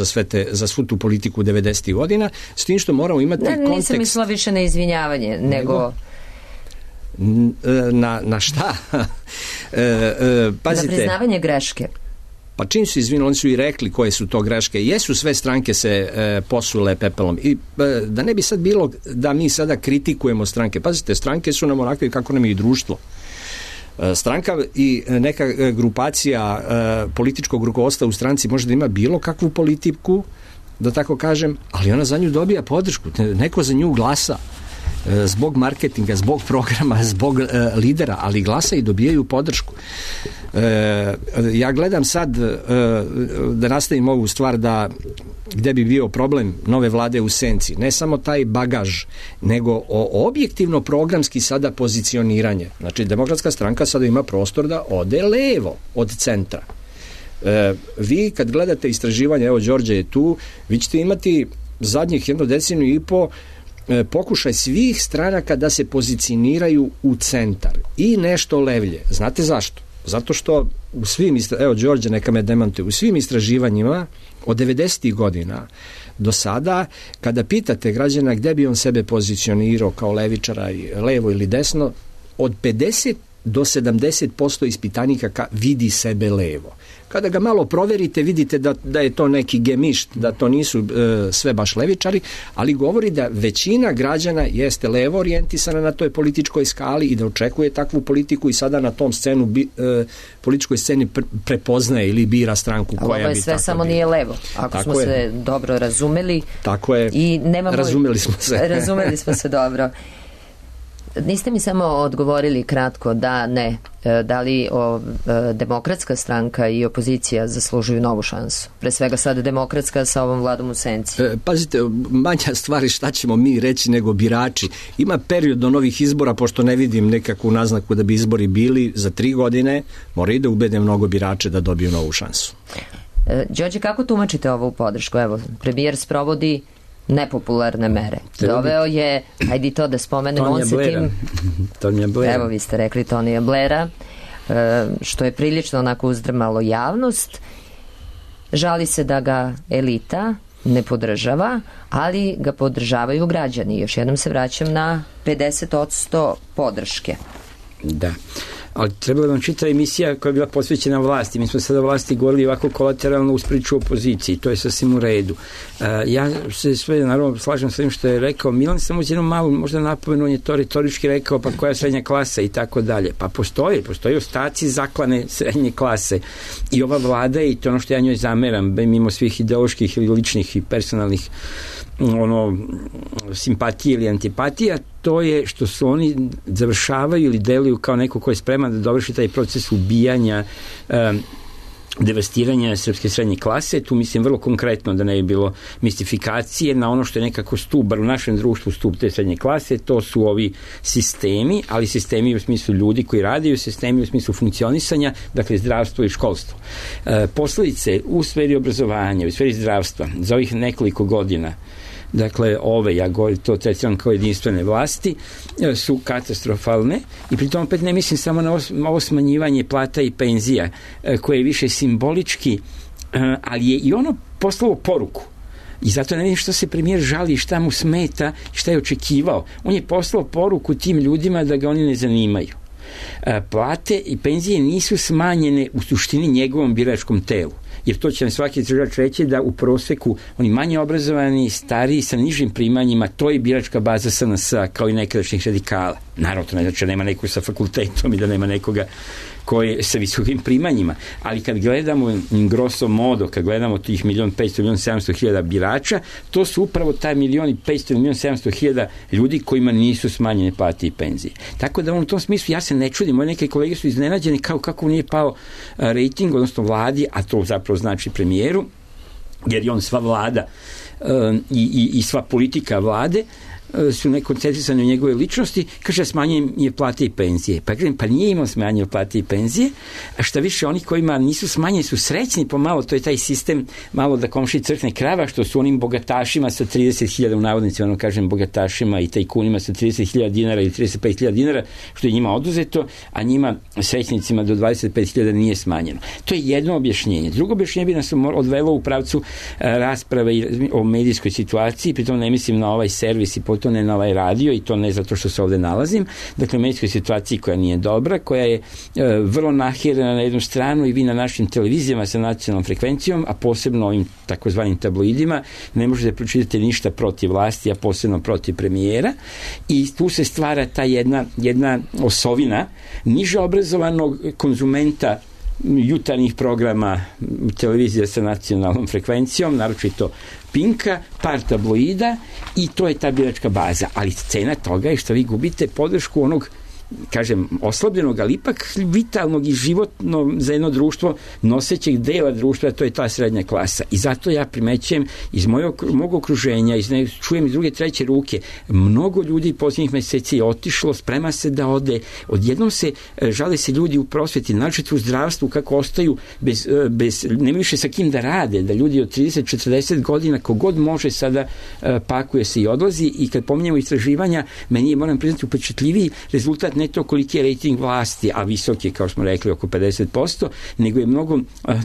za svu tu politiku 90. godina, s tim što moramo imati kontekst. Nisam mislila više na izvinjavanje, nego... Na šta? Pazite, na priznavanje greške. Pa čim su izvinili, oni su i rekli koje su to greške. Jesu sve stranke se posule pepelom. I da ne bi sad bilo da mi sada kritikujemo stranke. Pazite, stranke su nam onakve kako nam je i društvo. Stranka i neka grupacija političkog rukovodstva u stranci može da ima bilo kakvu politiku, da tako kažem, ali ona za nju dobija podršku. Neko za nju glasa zbog marketinga, zbog programa, zbog lidera, ali glasa i dobijaju podršku. Ja gledam sad da nastavim ovu stvar gde bi bio problem nove vlade u senci. Ne samo taj bagaž, nego objektivno programski sada pozicioniranje. Znači, Demokratska stranka sada ima prostor da ode levo od centra. Vi kad gledate istraživanje, evo Đorđe je tu, vi ćete imati zadnjih 1 deceniju i po pokušaj svih stranaka da se pozicioniraju u centar i nešto levlje. Znate zašto? Zato što u svim, evo Đorđe neka me demantuje, u svim istraživanjima od 90. godina do sada, kada pitate građana gde bi on sebe pozicionirao kao levičara, levo ili desno, od 50 do 70% ispitanika vidi sebe levo. Kada ga malo proverite, vidite da je to neki gemišt, da to nisu sve baš levičari, ali govori da većina građana jeste levo orijentisana na toj političkoj skali i da očekuje takvu politiku i sada na tom političkoj sceni prepoznaje ili bira stranku koja bi tako bila. Ovo je sve samo nije levo, ako tako smo se dobro razumeli. Tako je, i razumeli smo se. Razumeli smo se dobro. Niste mi samo odgovorili kratko da ne, da li Demokratska stranka i opozicija zaslužuju novu šansu? Pre svega sad Demokratska sa ovom vladom u senci. Pazite, manja stvari šta ćemo mi reći nego birači. Ima period do novih izbora, pošto ne vidim nekakvu naznaku da bi izbori bili za 3 godine, mora i da ubede mnogo birače da dobiju novu šansu. Đorđe, kako tumačite ovu podršku? Evo, premijer sprovodi nepopularne mere. Doveo je, hajde to da spomenemo, on se tim... Tonija Blera. Evo, vi ste rekli Tonija Blera, što je prilično onako uzdrmalo javnost. Žali se da ga elita ne podržava, ali ga podržavaju građani. Još jednom se vraćam na 50% podrške. Da. Ali trebala vam čita emisija koja je bila posvećena vlasti. Mi smo sada vlasti govorili ovako kolateralno uz priču opoziciji. To je sasvim u redu. Ja se sve naravno slažem s ovim što je rekao Milan, samo uz jednom malu možda napomenu, on je to retorički rekao, pa koja je srednja klasa i tako dalje. Pa postoji ostaci zaklane srednje klase. I ova vlada, i to ono što ja njoj zameram, mimo svih ideoloških ili ličnih i personalnih simpatije ili antipatija, to je što su oni završavaju ili deluju kao neko ko je spreman da dovrši taj proces ubijanja, devastiranja srpske srednje klase. Tu mislim vrlo konkretno, da ne bi bilo mistifikacije, na ono što je nekako stub, bar u našem društvu stub te srednje klase, to su ovi sistemi, ali sistemi u smislu ljudi koji radiju, sistemi u smislu funkcionisanja, dakle zdravstvo i školstvo. Posledice u sferi obrazovanja, u sferi zdravstva za ovih nekoliko godina, dakle ja govorim to tretiram kao jedinstvene vlasti, su katastrofalne i pritom opet ne mislim samo na ovo smanjivanje plata i penzija koje je više simbolički ali je i ono poslalo poruku. I zato ne vidim što se premijer žali, šta mu smeta, šta je očekivao. On je poslao poruku tim ljudima da ga oni ne zanimaju. Plate i penzije nisu smanjene u suštini njegovom biračkom telu. Jer to će nam svaki istraživač reći da u proseku oni manje obrazovani, stariji, sa nižim primanjima, to je biračka baza SNS-a kao i nekadašnjih radikala. Naravno, to ne znači da nema nekog sa fakultetom i da nema nekoga koji je sa visokim primanjima, ali kad gledamo grosso modo, kad gledamo tih 1.500.000.700.000 birača, to su upravo taj 1.500.000.700.000 ljudi kojima nisu smanjene plate i penzije. Tako da u tom smislu ja se ne čudim, moje neke kolege su iznenađeni kako nije pao rejting, odnosno vladi, a to zapravo znači premijeru, jer je on sva vlada i sva politika vlade su nekoncentrisane u njegove ličnosti, kaže smanjenje je plate i penzije. Pa kažem, pa nije imao smanjenje plate i penzije, a šta više, oni kojima nisu smanjeni su srećni pomalo, to je taj sistem malo da komši crkne krava, što su onim bogatašima sa 30.000 u navodnicima, kažem bogatašima i tajkunima sa 30.000 dinara ili 35.000 dinara, što je njima oduzeto, a njima srećnicima do 25.000 nije smanjeno. To je jedno objašnjenje. Drugo objašnjenje bi nas odvelo u pravcu rasprave o medijskoj situaciji, pritom ne mislim na ovaj servis i to ne na ovaj radio i to ne zato što se ovde nalazim, dakle u medijskoj situaciji koja nije dobra, koja je vrlo nahirana na jednu stranu i vi na našim televizijama sa nacionalnom frekvencijom, a posebno ovim takozvanim tabloidima, ne možete pročitati ništa protiv vlasti, a posebno protiv premijera, i tu se stvara ta jedna osovina niže obrazovanog konzumenta jutarnjih programa televizije sa nacionalnom frekvencijom, naročito Pinka, par tabloida, i to je ta biračka baza. Ali cena toga je što vi gubite podršku onog, kažem, oslabljenog, ali ipak vitalnog i životno za jedno društvo nosećeg dela društva, to je ta srednja klasa. I zato ja primećujem iz mog okruženja, čujem iz druge, treće ruke, mnogo ljudi posljednjih meseci je otišlo, sprema se da ode, odjednom se žale se ljudi u prosveti, načet u zdravstvu, kako ostaju bez nema više sa kim da rade, da ljudi od 30-40 godina kogod može sada pakuje se i odlazi, i kad pominjemo istraživanja, meni je, moram priznati, upečatljiviji rezultat ne to koliki je rejting vlasti, a visok je, kao smo rekli, oko 50%, nego je mnogo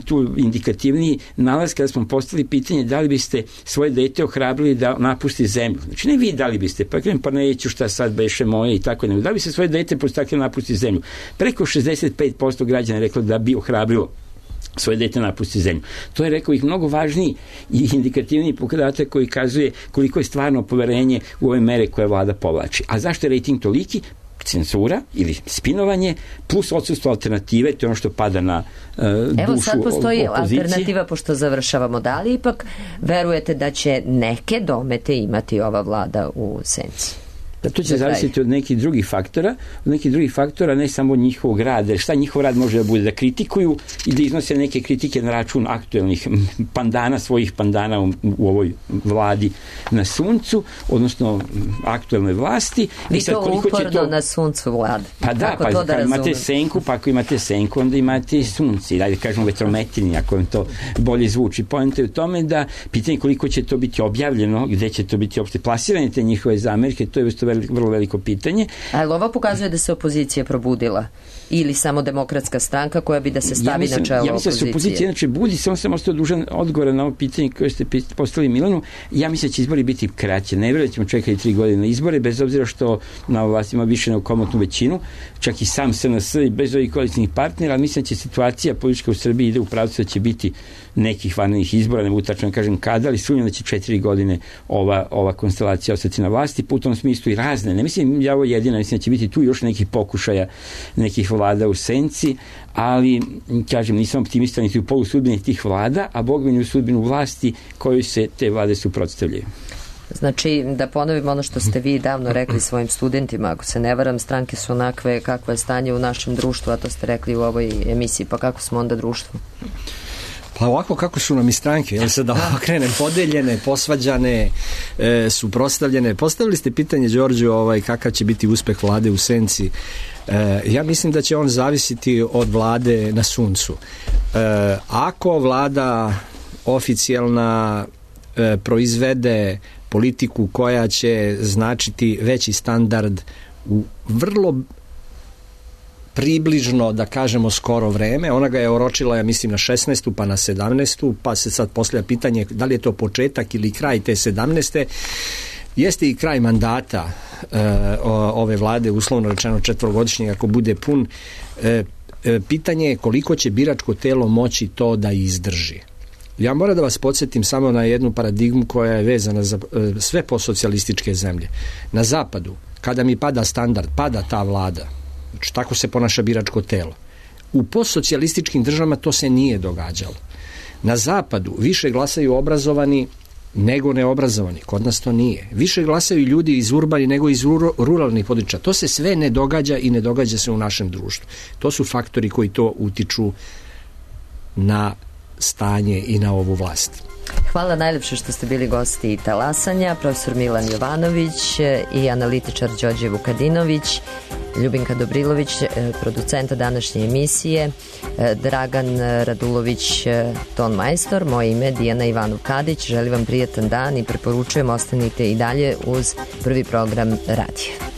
tu indikativniji nalaz kada smo postavili pitanje da li biste svoje dete ohrabrili da napusti zemlju. Znači, ne vi da li biste, pa neću šta sad beše moje i tako, nego da li bi se svoje dete postakli napusti zemlju. Preko 65% građana je reklo da bi ohrabrilo svoje dete napusti zemlju. To je, rekao ih, mnogo važniji i indikativniji pokazatelj koji kazuje koliko je stvarno poverenje u ove mere koje vlada povlači. A zašto je rejting toliki? Cenzura ili spinovanje plus odsustvo alternative, to je ono što pada na dušu opozicije. Evo sad postoji alternativa, pošto završavamo. Da li ipak verujete da će neke domete imati ova vlada u senci? Da, to će zavisiti od nekih drugih faktora, ne samo od njihovog rada. Šta njihov rad može da bude? Da kritikuju i da iznose neke kritike na račun aktuelnih pandana, svojih pandana u ovoj vladi na suncu, odnosno aktuelnoj vlasti. Vi to uporno na suncu vlade. Pa da, pa imate senku, pa ako imate senku, onda imate i sunci. Dajde kažemo vetrometrini, ako vam to bolje zvuči. Poenta je u tome da pitanje koliko će to biti objavljeno, gde će to biti uopšte plasirane te njihove zamerke, to je vrlo veliko pitanje. Ali ovo pokazuje da se opozicija probudila ili samo Demokratska stranka koja bi da se stavi na čelo opozicije? Ja mislim da se opozicija inače budi, samo sam ostao dužan odgovora na ovo pitanje koje ste postavili Milanu. Ja mislim da će izbori biti kraće. Ne vjerujem da ćemo čekati 3 godine na izbore, bez obzira što na vlasti ima više nego komotnu većinu, čak i sam SNS i bez ovih koalicijnih partnera, ali mislim da će situacija politička u Srbiji ide u pravcu da će biti nekih vanrednih izbora, ne mogu tačno kažem kada, ali sumnjam da će 4 godine ova konstelacija ostati na vlasti, u tom smislu i razne. Ne mislim ja ovo jedina, mislim da će biti tu još nekih pokušaja, nekih vlada u senci, ali, kažem, nisam optimista niti u polu sudbine tih vlada, a Bog mi u sudbinu vlasti kojoj se te vlade suprotstavljaju. Znači, da ponovim ono što ste vi davno rekli svojim studentima, ako se ne varam, stranke su onakve kakvo je stanje u našem društvu, a to ste rekli u ovoj emisiji, pa kako smo onda društvo? Pa ovako kako su nam i stranke, jel se da ovo krene podeljene, posvađane, suprotstavljene. Postavili ste pitanje, Đorđu, kakav će biti uspeh vlade u senci. Ja mislim da će on zavisiti od vlade na suncu. Ako vlada oficijalna proizvede politiku koja će značiti veći standard u vrlo približno, da kažemo, skoro vreme. Ona ga je oročila, ja mislim, na 16. pa na 17. pa se sad postavlja pitanje da li je to početak ili kraj te 17. Jeste i kraj mandata ove vlade, uslovno rečeno 4-godišnjeg, ako bude pun. Pitanje je koliko će biračko telo moći to da izdrži. Ja moram da vas podsjetim samo na jednu paradigmu koja je vezana za sve postsocijalističke zemlje. Na zapadu, kada mi pada standard, pada ta vlada. Znači, tako se ponaša biračko telo. U postsocijalističkim državama to se nije događalo. Na zapadu više glasaju obrazovani nego neobrazovani. Kod nas to nije. Više glasaju ljudi iz urbani nego iz ruralnih područja. To se sve ne događa i ne događa se u našem društvu. To su faktori koji to utiču na stanje i na ovu vlast. Hvala najlepše što ste bili gosti Talasanja, profesor Milan Jovanović i analitičar Đorđe Vukadinović, Ljubinka Dobrilović, producenta današnje emisije, Dragan Radulović, ton majstor, moje ime Dijana Ivanov-Kadić. Želim vam prijatan dan i preporučujem ostanite i dalje uz Prvi program radija.